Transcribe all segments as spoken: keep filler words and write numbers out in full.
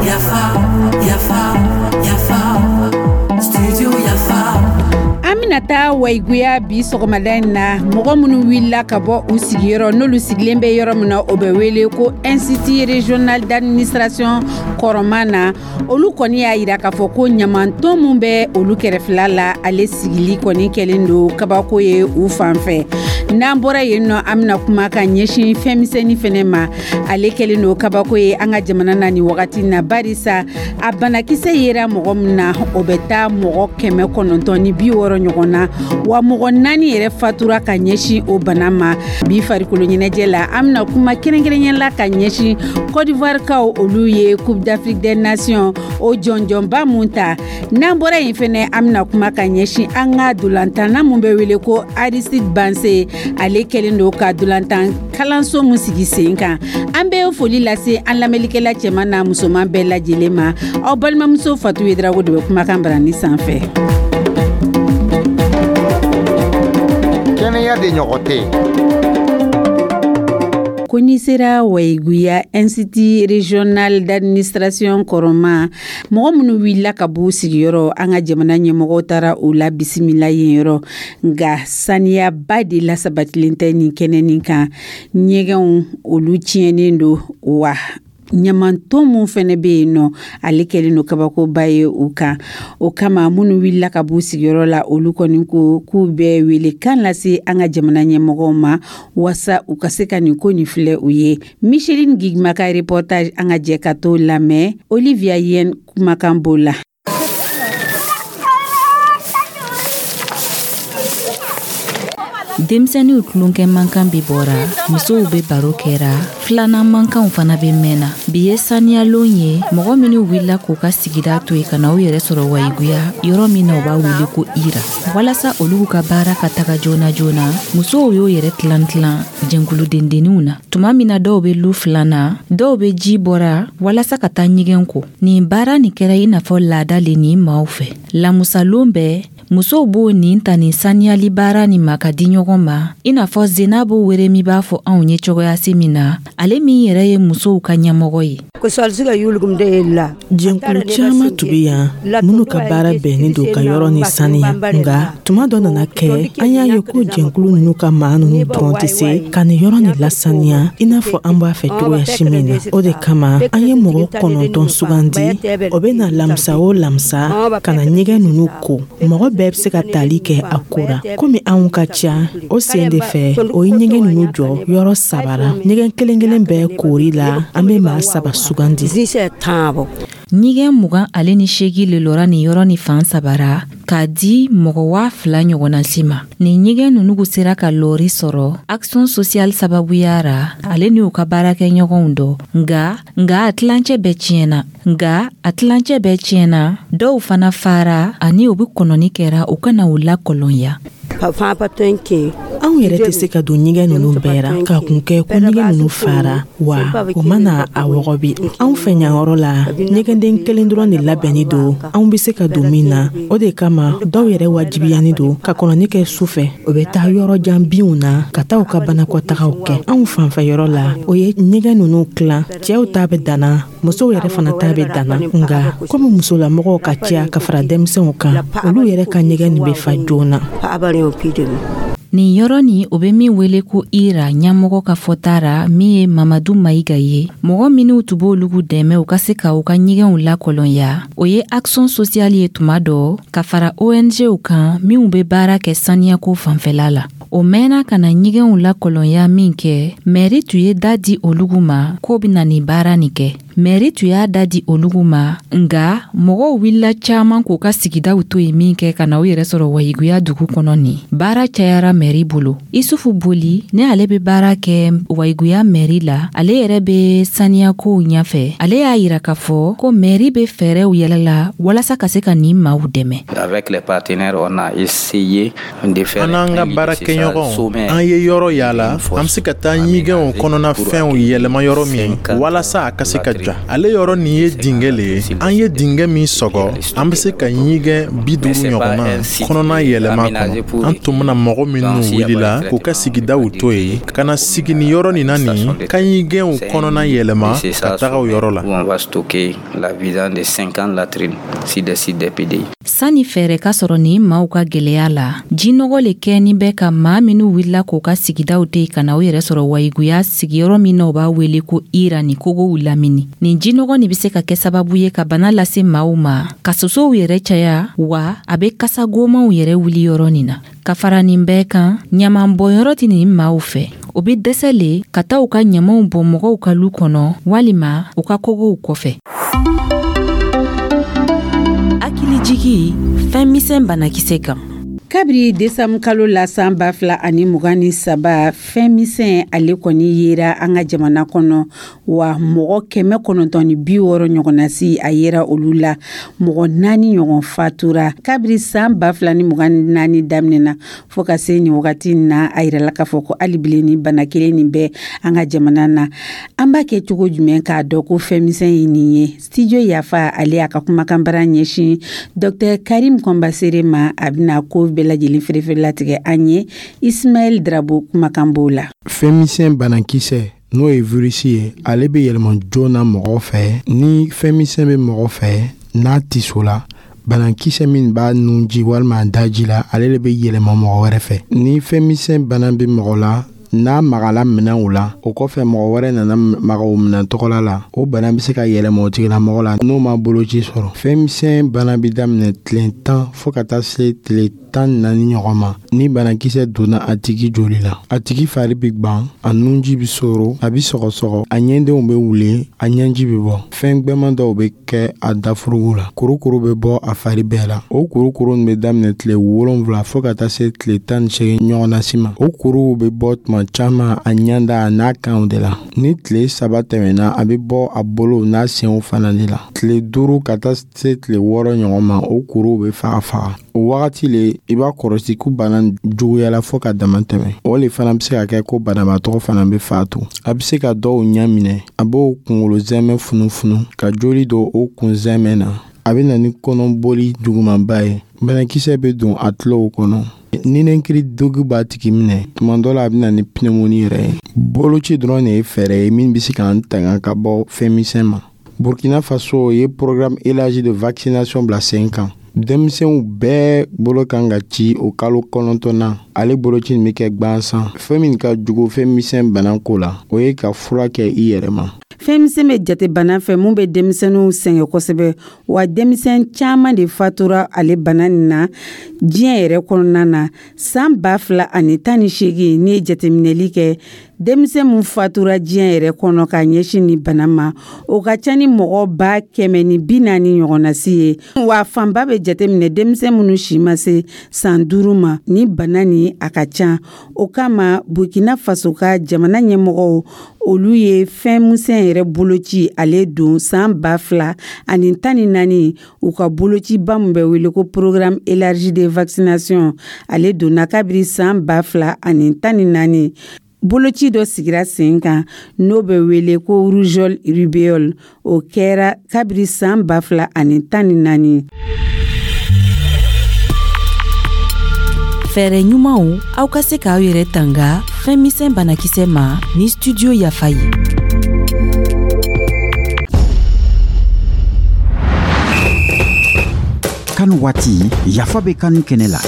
Yafa, yafa, yafa, studio Yafa. An bɛna taa Wayiguya bi sɔgɔmada in na. Mɔgɔ minnu wulila ka bɔ u sigiyɔrɔ, n'olu sigilen bɛ yɔrɔ min na, o bɛ wele ko Institut régional d'administration kɔrɔman na, olu kɔni y'a yira k'a fɔ ko ɲamantɔn min bɛ olu kɛrɛfɛla la, ale sigili kɔni kɛlen don kabako ye u fan fɛ. N'an bɔra yen nɔ, an bɛna kuma ka ɲɛsin fɛnmisɛnnin fɛnɛ ma. Ale kɛlen don kabako ye an ka jamana na nin wagati na, barisa a banakisɛ yera mɔgɔ min na, o bɛ taa mɔgɔ kɛmɛ kɔnɔntɔn ni bi wɔɔrɔ ɲɔgɔn na, wa mɔgɔ naani yɛrɛ fatura ka ɲɛsin o bana ma. Bi farikolo ɲɛnajɛ la, an bɛna kuma kɛrɛnkɛrɛnya la ka ɲɛsin Côte d'Ivoire kaw, olu ye Coupe d'Afrique des Nations o jɔnjɔnba mun ta. N'an bɔra yen fɛnɛ, an bɛna kuma ka ɲɛsin an ka dolantanna mun bɛ wele ko Aristide Bancé, ale kɛlen don ka dolantan kalanso mun sigi sen kan. An bɛ foli lase an lamɛnlikɛla cɛman n'a musoman bɛɛ lajɛlen ma. Aw balimamuso Fatu Yedrago de bɛ kumakan barani sanfɛ. Kɛnɛya de ɲɔgɔn tɛ. Ko n'i sera Wayiguya, Institut régional d'administration kɔrɔma, mɔgɔ minnu wulila ka b'u sigiyɔrɔ, an ka jamana ɲɛmɔgɔw taara u la bisimila yen yɔrɔ, nka saniyaba de lasabatilen tɛ nin kɛnɛ nin kan. Ɲɛgɛnw, olu tiɲɛnen don, wa ɲamantɔn mun fɛnɛ bɛ yen nɔ, ale kɛlen don kabakoba ye u kan. O kama, minnu wulila ka b'u sigiyɔrɔ la, olu kɔni ko k'u bɛ wele kan lase an ka jamana ɲɛmɔgɔw ma, wasa u ka se ka nin ko nin filɛ u ye. Micheline Gigma ka reportage, an ka jɛ ka t'o lamɛn. Olivia Yen kumakan b'o la. Denmisɛnninw tulonkɛ mankan bɛ bɔra, musow bɛ baro kɛra, filanan mankanw fana bɛ mɛnna. Bi ye saniyalon ye. Mɔgɔ minnu wulila k'u ka sigida to yen ka na u yɛrɛ sɔrɔ Wayiguya, yɔrɔ min na u b'a wele ko Ira, walasa olu ka baara ka taga joona joona, musow y'o yɛrɛ tilan tilan jɛnkulu dendenninw na. Tuma min na dɔw bɛ lu filanan, dɔw bɛ ji bɔra walasa ka taa ɲɛgɛn ko. Nin baara nin kɛra i n'a fɔ laada le nin maaw fɛ. Lamusalon bɛɛ, musow b'o nin ta nin saniyali baara nin ma ka di ɲɔgɔn ma, i n'a fɔ Zenabo Weremi b'a fɔ anw ye cogoya se min na, ale min yɛrɛ ye musow ka ɲɛmɔgɔ ye. Jɛnkulu caman tun bɛ yan minnu ka baara bɛnnen don ka yɔrɔ ni saniya, nka tuma dɔ nana kɛ, an y'a ye ko jɛnkulu ninnu ka maa ninnu dɔrɔn tɛ se ka nin yɔrɔ nin lasaniya i n'a fɔ an b'a fɛ cogoya si min na. O de kama, an ye mɔgɔ kɔnɔntɔn sugandi, o bɛ na lamisa o lamisa ka na ɲɛgɛn ninnu ko. Mɔgɔ bɛɛ bɛ se ka tali kɛ a ko la. Komi anw ka ca, o sen de fɛ, o ye ɲɛgɛn ninnu jɔ yɔrɔ saba la. Ɲɛgɛn kelen kelen bɛɛ koori la, an bɛ maa saba sugandi. Ɲɛgɛn mugan ale ni seegin le lɔra nin yɔrɔ ni fan saba ra k'a di mɔgɔ waa fila ɲɔgɔnna si ma. Nin ɲɛgɛn ninnu sera ka lɔri sɔrɔ Action sociale sababuya ra, ale n'u ka baarakɛɲɔgɔnw dɔ. Nka nka a tilancɛ bɛɛ tiɲɛna nka a tilancɛ bɛɛ tiɲɛna, dɔw fana fara ani u bɛ kɔnɔni kɛra u kana u lakɔlɔnya. Anw yɛrɛ tɛ se ka don ɲɛgɛn ninnu bɛɛ ra ka kun kɛ ko ɲɛgɛn ninnu fara, wa o mana a wɔgɔbi. Anw fɛ ɲanyɔrɔ la, ɲɛgɛnden kelen dɔrɔn de labɛnni don anw bɛ se ka don min na. O de kama, dɔw yɛrɛ wajibiyanin don ka kɔnɔni kɛ su fɛ, o bɛ taa yɔrɔ jan binw na ka taa u ka banakɔtagaw kɛ. Anw fanfɛ yɔrɔ la, o ye ɲɛgɛn ninnu tilan, cɛw ta bɛ danna, musow yɛrɛ fana ta bɛ danna. Nka komi musolamɔgɔw ka ca ka fara denmisɛnw kan, olu yɛrɛ ka ɲɛgɛn nin bɛ fa joona. Nin yɔrɔ nin, o bɛ min wele ko Ira, ɲɛmɔgɔ ka fɔta ra, min ye Mamadu Mayiga ye, mɔgɔ minnu tun b'olu dɛmɛ u ka se ka u ka ɲɛgɛnw lakɔlɔnya, o ye Action sociale ye tuma dɔ ka fara O N Gw kan minnu bɛ baara kɛ saniyako fanfɛla la. O mɛnna ka na ɲɛgɛnw lakɔlɔnya min kɛ, mɛri tun ye da di olugu ma k'o bɛna nin baara nin kɛ. Mɛri tun y'a da di olugu ma, nka mɔgɔw wulila caman k'u ka sigidaw to yen min kɛ ka na u yɛrɛ sɔrɔ Wayiguya dugu kɔnɔ. Nin baara cayara mɛri bolo. Isufu Boli ne, ale bɛ baara kɛ Wayiguya mɛri la, ale yɛrɛ bɛ saniyakow ɲɛfɛ. Ale y'a yira k'a fɔ ko mɛri bɛ fɛɛrɛw yɛlɛ la walasa ka se ka nin maaw dɛmɛ. Avec les partenaires, on a essayé de faire An n'an ka baarakɛɲɔgɔnw, an ye yɔrɔ yaala an bɛ se ka taa ɲɛgɛnw kɔnɔna fɛnw yɛlɛma yɔrɔ min walasa a ka se ka ja. Ale yɔrɔ nin ye dingɛ le ye. An ye dingɛ min sɔgɔ, an bɛ se ka ɲigɛn bi duuru ɲɔgɔnna kɔnɔna yɛlɛma kɔnɔ. An tun bɛna mɔgɔ minnu wulila k'u ka sigidaw to yen ka na sigi nin yɔrɔ nin na, nin ka ɲigɛnw kɔnɔna yɛlɛma ka taga o yɔrɔ la. On va stocker la vidange de cinquante latrines sur des sites des P D I. Sanni fɛɛrɛ ka sɔrɔ nin maaw ka gwɛlɛya la, jinɔgɔ le kɛni bɛ ka maa minw wulila k'u ka sigidaw to ka na u yɛrɛ sɔrɔ Wayiguya sigiyɔrɔ min na, u b'a wele ko Ira, ni kogow lamini. Nin jinɔgɔ nin be se ka kɛ sababu ye ka bana lase maaw ma, ka sosow yɛrɛ caya, wa a be kasa gomanw yɛrɛ wuli yɔrɔ nin na. Ka fara nin bɛɛ kan, ɲaman bɔnyɔrɔ tɛ nin maaw fɛ. O be dɛsɛ le ka taa u ka ɲamaw bɔn mɔgɔw ka lu kɔnɔ walima u ka kogow kɔfɛ. Hakilijigi fɛn misɛn banakisɛ kan. Kabiri desanburu kalo la san ba fila ani mugan ni saba, fɛn misɛn ale kɔni yera an ka jamana kɔnɔ, wa mɔgɔ kɛmɛ kɔnɔntɔn ni bi wɔɔrɔ ɲɔgɔnnasi a yera olu la, mɔgɔ naani ɲɔgɔn fatura. Kabiri san ba fila ni mugan ni naani daminɛna fɔɔ ka se nin wagati na, a yirala k'a fɔ ko hali bilen ni bana kelen nin bɛ an ka jamana na. An b'a kɛ cogo jumɛn k'a dɔn ko fɛn misɛn ye nin ye? Studio Yafa ale y'a ka kumakanbara ɲɛsin Docteur Karim Kɔnbasere ma. A bɛna ko bɛɛ lajɛlen ferefere latigɛ an ye. Ismaɛl Drabo kumakan b'o la. Fɛn misɛn banakisɛ, n'o ye virisi ye, ale bɛ yɛlɛma joona mɔgɔ fɛ. Ni fɛn misɛn bɛ mɔgɔ fɛ, n'a tiso la, banakisɛ min b'a nunji walima a daji la, ale de bɛ yɛlɛma mɔgɔ wɛrɛ fɛ. Ni fɛn misɛn bana bɛ mɔgɔ la, n'a magala minɛnw la, o kɔfɛ mɔgɔ wɛrɛ nana maga o minɛn tɔgɔla la, o bana bɛ se ka yɛlɛma o tigilamɔgɔ la n'o ma boloci sɔrɔ. Fɛn misɛn bana bɛ daminɛ tile tan fɔɔ ka taa se tile tan ni naani ɲɔgɔn ma. Ni banakisɛ donna a tigi joli la, a tigi fari bɛ gwan, a nunji bɛ soro, a bɛ sɔgɔsɔgɔ, a ɲɛdenw bɛ wuli, a ɲɛji bɛ bɔ, fɛn gwɛman dɔw bɛ kɛ a dafurugu la, kurukuru bɛ bɔ a fari bɛɛ la. O kurukuru nin bɛ daminɛ tile wolonwula fɔɔ ka taa se tile tan ni seegin ɲɔgɔnna si ma. O kuruw bɛ bɔ tuma caman a ɲɛda a n'a kanw de la. Ni tile saba tɛmɛna, a bɛ bɔ a bolow n'a senw fana de la. Tile duuru ka taa se tile wɔɔrɔ ɲɔgɔn ma, o kuruw bɛ faga faga. O wagati le i b'a kɔrɔsi ko bana juguyala fɔɔ ka dama tɛmɛ. O le fana bɛ se ka kɛ ko banabaatɔ fana bɛ fatu. A bɛ se ka dɔw ɲɛ minɛ, a b'o kunkolo zɛmɛ funufunu ka joli don o kun zɛmɛ na. A bɛ na ni kɔnɔboli jugumanba ye. Banakisɛ bɛ don a tulow kɔnɔ, ninakili degun b'a tigi minɛ, tuma dɔ la a bɛ na ni pneumonie yɛrɛ ye. Boloci dɔrɔn de ye fɛɛrɛ ye min bɛ se k'an tanga ka bɔ fɛn misɛn ma. Burkina Faso ye programme élargi de vaccination bila sen kan. Denmisɛnw bɛɛ bolo kan ka ci o kalo kɔnɔntɔnna. Ale boloci nin bɛ kɛ gwansan. Fɛn min ka jugu fɛn misɛn bana ko la, o ye ka fura kɛ i yɛrɛ ma. Fɛn misɛn bɛ jate bana fɛ mun bɛ denmisɛnninw sɛgɛn kosɛbɛ, wa denmisɛn caman de fatura ale bana nin na diɲɛ yɛrɛ kɔnɔna na. San ba fila ani tan ni seegin, n'i ye jateminɛli kɛ, denmisɛn mun fatura diɲɛ yɛrɛ kɔnɔ ka ɲɛsin ni bana ma, o ka ca ni mɔgɔ ba kɛmɛ ni bi naani ɲɔgɔnnasi ye, wa fanba bɛ jateminɛ denmisɛn minnu si ma se san duuru ma. Ni bana ni a ka ca, o kama Burkina Faso ka jamana ɲɛmɔgɔw, olu ye fɛn misɛn yɛrɛ boloci ale don san ba fila ani tan ni naani. U ka bolociba min bɛ wele ko programme élargi de vaccination, ale donna kabiri san ba fila ani tan ni naani. Boloci dɔ sigira sen kan n'o bɛ wele ko rougeole rubéole, o kɛra kabiri san ba fila ani tan ni naani. Fɛɛrɛ ɲumanw aw ka se k'aw yɛrɛ tanga fɛn misɛn banakisɛ ma ni Studio Yafa ye. CAN waati, Yafa bɛ CAN kɛnɛ la.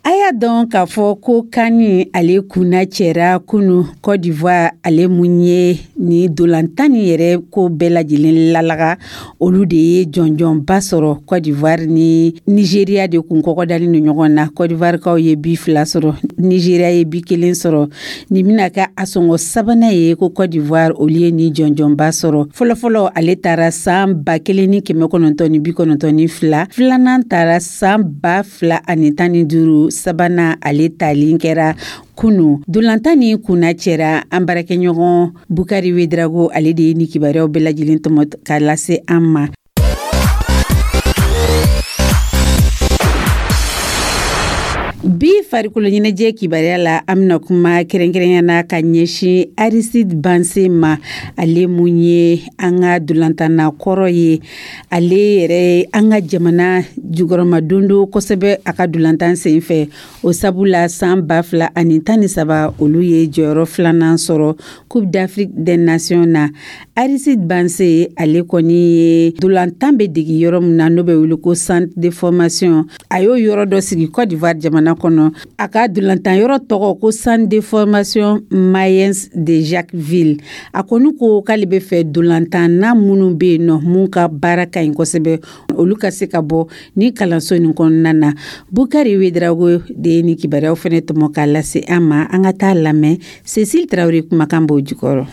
A y'a dɔn k'a fɔ ko CAN ale kunna cɛra kunu. Côte d'Ivoire ale mun ye ni dolantan ni yɛrɛ ko bɛɛ lajɛlen lalaga, olu de ye jɔnjɔnba sɔrɔ. Côte d'Ivoire ni Nigeria de kun kɔgɔdalen ni ɲɔgɔn na. Côte d'Ivoire kaw ye bi fila sɔrɔ, Nigeria ye bi kelen sɔrɔ. Nin bɛna kɛ a sɔngɔ sabanan ye ko Côte d'Ivoire olu ye ni jɔnjɔnba sɔrɔ. Fɔlɔfɔlɔ ale taara san ba kelen ni kɛmɛ kɔnɔntɔn ni bi kɔnɔntɔn ni fila, filanan taara san ba fila ani tan ni duuru, sabanan ale talen kɛra kunu. Dolantan ni kunna cɛra. An baarakɛɲɔgɔn Bukari Wedrago, ale de ye ni kibaruyaw bɛɛ lajɛlen tɔmɔ ka lase an ma. Bi Farikolo ɲɛnajɛ kibaruya la, an bɛna kuma kɛrɛnkɛrɛnya na ka ɲɛsin Aristide Bancé ma, ale mun ye an ka dolantanna kɔrɔ ye. Ale yɛrɛ, an ka jamana jukɔrɔma don kosɛbɛ a ka dolantan sen fɛ. O sabu la, san ba fila ani tan ni saba, olu ye jɔyɔrɔ filanan sɔrɔ Coupe d'Afrique des Nations na. Aristide Bancé, ale kɔni ye dolantan bɛ degi yɔrɔ min na, n'o bɛ wele ko centre de formation, a y'o yɔrɔ dɔ sigi Côte d'Ivoire jamana kɔnɔ. A ka dolantan yɔrɔ tɔgɔ ko Centre de formation Mayens de Jacqueville. A kɔni ko k'ale bɛ fɛ dolantanna minnu bɛ yen nɔ, mun ka baara ka ɲi kosɛbɛ, olu ka se ka bɔ ni kalanso nin kɔnɔna na. Bukari Wedrago de ye nin kibaruyaw fɛnɛ tɔmɔ k'a lase an ma. An ka taa lamɛn, Cécile Traoré kumakan b'o jukɔrɔ.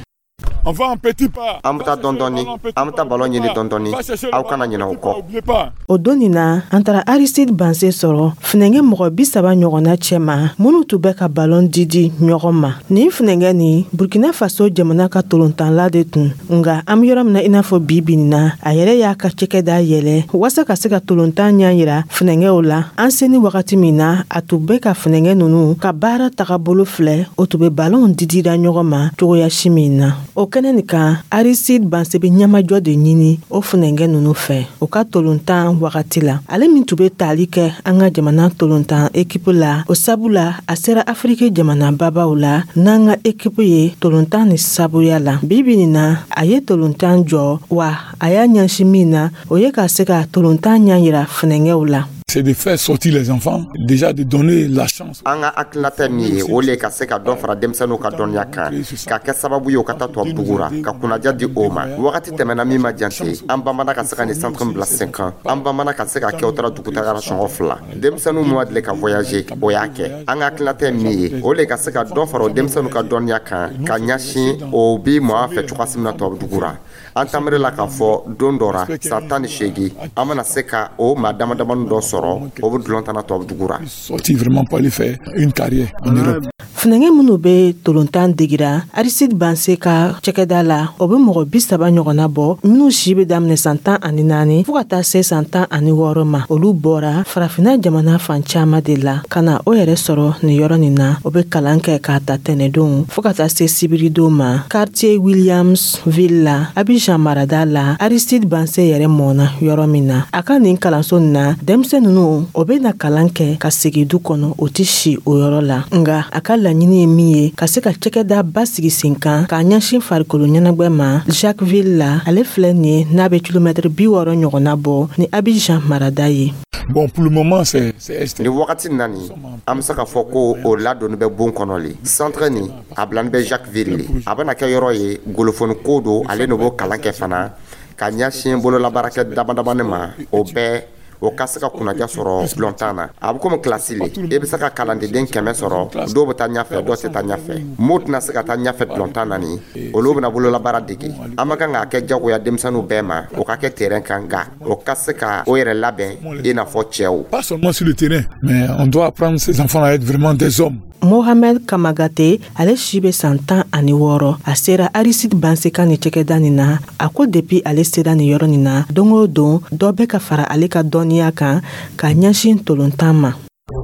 An bɛ taa dɔɔni dɔɔni, an bɛ taa balon ɲini dɔɔni dɔɔni, aw kana ɲinɛ o kɔ. O don nin na, an taara Aristide Bancé sɔrɔ funɛngɛ mɔgɔ bi saba ɲɔgɔnna cɛma, minnu tun bɛ ka balon didi ɲɔgɔn ma. Nin funɛngɛ nin, Burkina Faso jamana ka tolontanla de tun. Nga an be yɔrɔ min na, i n'a fɔ bi bi nin na, a yɛrɛ y'a ka cɛkɛda yɛlɛ waasa ka se ka tolontan ɲa yira funɛngɛw la. An seni wagati min na, a tun bɛ ka funɛngɛ nunu ka baara tagabolo filɛ, o tun be balonw didira ɲɔgɔn ma cogoya si min na. O kɛnɛ nin kan, Aristide Bancé be ɲɛmajɔ de ɲini o funɛngɛ nunu fɛ o ka tolontan wagati la. Ale min tun be tali kɛ an ka jamana tolontan ekipu la, o sabu la a sera Afiriki jamana babaw la n'an ka ekipu ye tolontan ni sabuya la. Bi bi nin na, a ye tolontan jɔ wa, a y'a ɲɛsin min na, o ye ka se ka tolontan ɲa yira funɛngɛw la. C'est de faire sortir les enfants, déjà de donner la chance. An ka hakilinata min ye, o le ka se ka dɔ fara denmisɛnninw ka dɔnniya kan, ka kɛ sababu ye o ka taa tubabu dugu ra, ka kunnaja di o ma. Wagati tɛmɛna min ma jante, an bamana ka se ka nin centre bila sen kan. An bamana ka se ka kɛ o taara dugutagara sɔngɔ fila. Denmisɛnninw min ma deli ka voyager, o y'a kɛ. An ka hakilinata ye min ye, o le ka se ka dɔ fara o denmisɛnninw ka dɔnniya kan, ka ɲɛsin o bi mɔgɔ fɛ cogoya min na tubabu dugu ra. An tamiri la k'a fɔ don dɔ ra, san tan ni seegin, an bɛna se ka o maa dama damani dɔ sɔrɔ, o bɛ dulon tan na tubabu dugu ra. Sortir vraiment pour aller faire une carrière en Europe. Funɛngɛ minnu be tolontan degira Aristide Bancé ka cɛkɛda la, o be mɔgɔ bi saba ɲɔgɔnna bɔ, minw si be daminɛ san tan ani naani fɔɔ ka taa se san tan ani wɔɔrɔ ma. Olu bɔra Farafina jamana fan caaman de la ka na o yɛrɛ sɔrɔ nin yɔrɔ nin na. O be kalan kɛ k'a ta tɛnɛdon fɔɔ ka taa se sibiridon ma, quartier Williamsville la, Abijan marada la, Aristide Bancé yɛrɛ mɔna yɔrɔ min na. A ka nin kalanso nin na, denmisɛn nunu o be na kalan kɛ ka segi du kɔnɔ, o tɛ si o yɔrɔ la. Nga a ka laɲini ye min ye, ka se ka cɛkɛda ba sigi sen kan k'a ɲɛsin farikolo ɲɛnagwɛ ma Jacqueville la. Ale filɛ nin ye, n'a bɛ kilomɛtiri bi wɔɔrɔ ɲɔgɔnna bɔ ni Abijan marada ye. Bon, pour le moment, c'est c'est Nin wagati na nin, an bɛ se k'a fɔ ko o ladonni bɛ bon kɔnɔ le. Centre nin, a bilani bɛ Jacqueville le. A bɛna kɛ yɔrɔ ye, golofoni ko don, ale de b'o kalan kɛ fana, ka ɲɛsin bololabaarakɛ dama damani ma, o bɛɛ o ka se ka kunnaja sɔrɔ dulɔntan na. A bɛ komi kilasi le, i bɛ se ka kalandeden kɛmɛ sɔrɔ, dɔw bɛ taa ɲɛfɛ, dɔw tɛ taa ɲɛfɛ. M'o tɛna se ka taa ɲɛfɛ dulɔntan na nin, olu bɛna bololabaara dege. An ma kan k'a kɛ jagoya denmisɛnninw bɛɛ ma o ka kɛ terrain kan, nka o ka se ka o yɛrɛ labɛn i n'a fɔ cɛw. Pas seulement sur le terrain, mais on doit apprendre ces enfants à être vraiment des hommes. Mohamed Kamagate, ale si bɛ san tan ani wɔɔrɔ, a sera Aristide Bancé ka nin cɛkɛda nin na. A ko depuis ale sera nin yɔrɔ nin na, don o don dɔ bɛ ka fara ale ka dɔnniya kan ka ɲɛsin tolontan ma.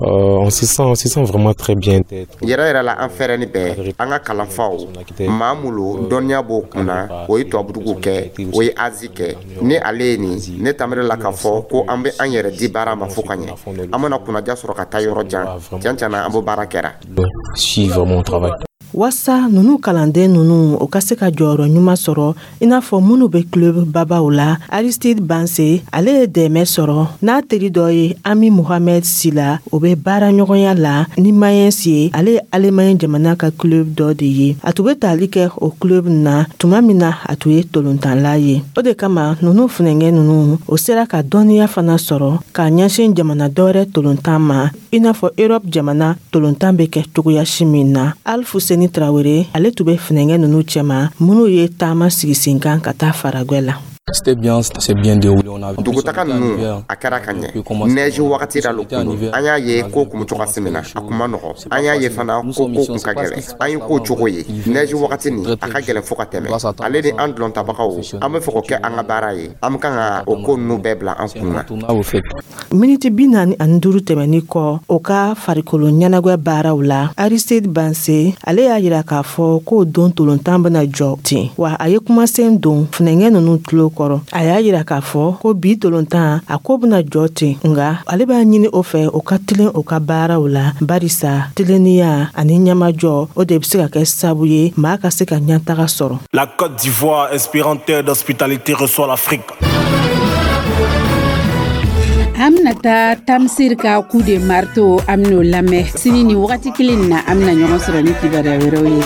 Euh, on se sent, on se sent vraiment très bien d'être. Yɛrɛ yɛrɛ la, an fɛrɛni bɛɛ an ka kalanfaw, maa mulu dɔnniya b'o kunna, o ye tubabudugu kɛ, o ye Azi kɛ. Ni ale ye nin, ne tamiri la k'a fɔ ko an bɛ an yɛrɛ di baara ma fo ka ɲɛ, an bɛna kunnaja sɔrɔ ka taa yɔrɔ jan. Tiɲɛ tiɲɛ na, an b'o baara kɛra. Suivre mon travail. Waasa nunu kalanden nunu o ka se ka jɔyɔrɔ ɲuman sɔrɔ i n'a fɔ minnu bɛ club babaw la, Aristide Bancé, ale ye dɛmɛ sɔrɔ n'a teri dɔ ye, Ami Mohamed Sila. O bɛ baara ɲɔgɔnya la ni Mayens ye. Ale ye Alemaɲi jamana ka club dɔ de ye. A tun bɛ tali kɛ o club na tuma min na, a tun ye tolontanla ye. O de kama nunu funɛngɛ nunu o sera ka dɔnniya fana sɔrɔ k'a ɲɛsin jamana dɔwɛrɛ tolontan ma, i n'a fɔ Europe jamana tolontan bɛ kɛ cogoya si min na. Alfuseni Tarawele, ale tun bɛ funɛngɛ nunu cɛma minnu ye taama sigi sen kan ka taa faragwɛ la. C'était bien, c'est bien déroulé. On a Dugutaga ninnu, a kɛra ka ɲɛ. Nɛji wagati la lo kun don. An y'a ye ko kun bɛ cogo min na, a kun ma nɔgɔ. An y'a ye fana ko ko kun ka gɛlɛn. An ye ko cogo ye, nɛji wagati nin, a ka gɛlɛn fo ka tɛmɛ. Ale ni an dulɔntabagaw, an bɛ fɛ k'o kɛ an ka baara ye. An bɛ kan ka o ko ninnu bɛɛ bila an kun na. Miniti bi naani ani duuru tɛmɛni kɔ o ka farikolo ɲɛnagwɛ baaraw la, Aristide Banse, ale y'a yira k'a fɔ k'o don tolontan bena jɔ ten. Wa a ye kumasen don funɛngɛ nunu tulo kɔrɔ. A y'a yira k'a fɔ ko bi tolontan, a ko bena jɔ ten, nga ale b'a ɲini o fɛ o ka tilen o ka baaraw la, barisa tilennenya ani ɲɛmajɔ, o de be se ka kɛ sabu ye maa ka se ka ɲɛtaga sɔrɔ. La Côte d'Ivoire, inspirant terre d'hospitalité, reçoit l'Afrique. An bɛna taa Tamsir ka coup de marteau, an bɛn'o lamɛn sini ni wagati kelen na. An bɛna ɲɔgɔn sɔrɔ ni kibaruya wɛrɛw ye.